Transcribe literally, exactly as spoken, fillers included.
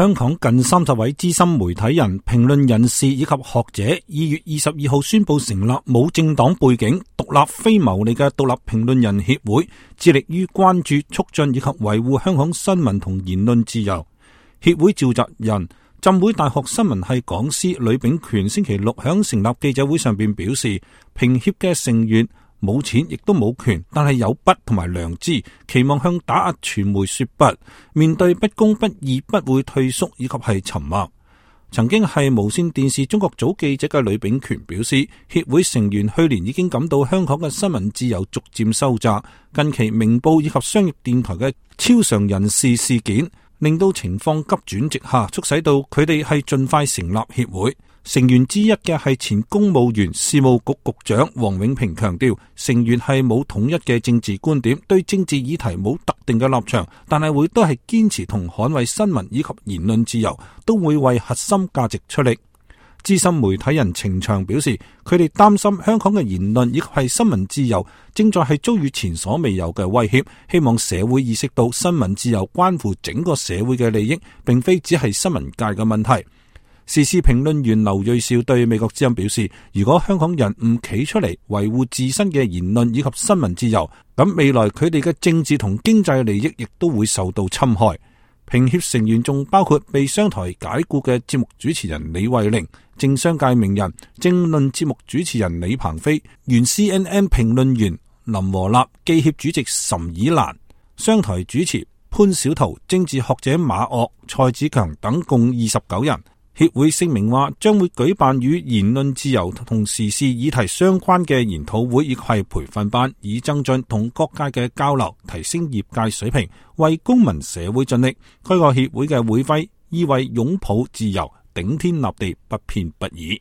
香港近三十位資深媒體人、評論人士以及學者，二月二十二號宣布成立冇政黨背景、獨立非牟利嘅獨立評論人協會，致力於關注、促進以及維護香港新聞同言論自由。協會召集人、浸會大學新聞系講師呂秉權星期六響成立記者會上邊表示，評協嘅成員冇錢亦都冇權，但係有筆同埋良知，期望向打壓傳媒說不，面對不公不義不會退縮以及係沉默。曾經係無線電視中國組記者嘅呂秉權表示，協會成員去年已經感到香港嘅新聞自由逐漸收窄，近期明報以及商業電台嘅超常人士事件令到情況急轉直下，促使到佢哋係盡快成立協會。成員之一嘅係前公務員事務局局長王永平強調，成員係冇統一嘅政治觀點，對政治議題冇特定嘅立場，但係會都係堅持同捍衛新聞以及言論自由，都會為核心價值出力。資深媒體人程翔表示，佢哋擔心香港嘅言論以及係新聞自由正在係遭遇前所未有嘅威脅，希望社會意識到新聞自由關乎整個社會嘅利益，並非只係新聞界嘅問題。時事評論員劉銳紹對美國之音表示，如果香港人唔企出嚟維護自身嘅言論以及新聞自由，咁未來佢哋嘅政治同經濟利益亦都會受到侵害。評協成員仲包括被商台解雇嘅節目主持人李慧玲、政商界名人、政論節目主持人李鵬飛、原 C N N 評論員林和立、記協主席岑以蘭、商台主持潘小桃、政治學者馬岳、蔡子強等共二十九人。協會聲明話，將會舉辦與言論自由同時事議題相關嘅研討會以及係培訓班，以增進同各界嘅交流，提升業界水平，為公民社會盡力。該個協會嘅會徽意為擁抱自由，頂天立地，不偏不倚。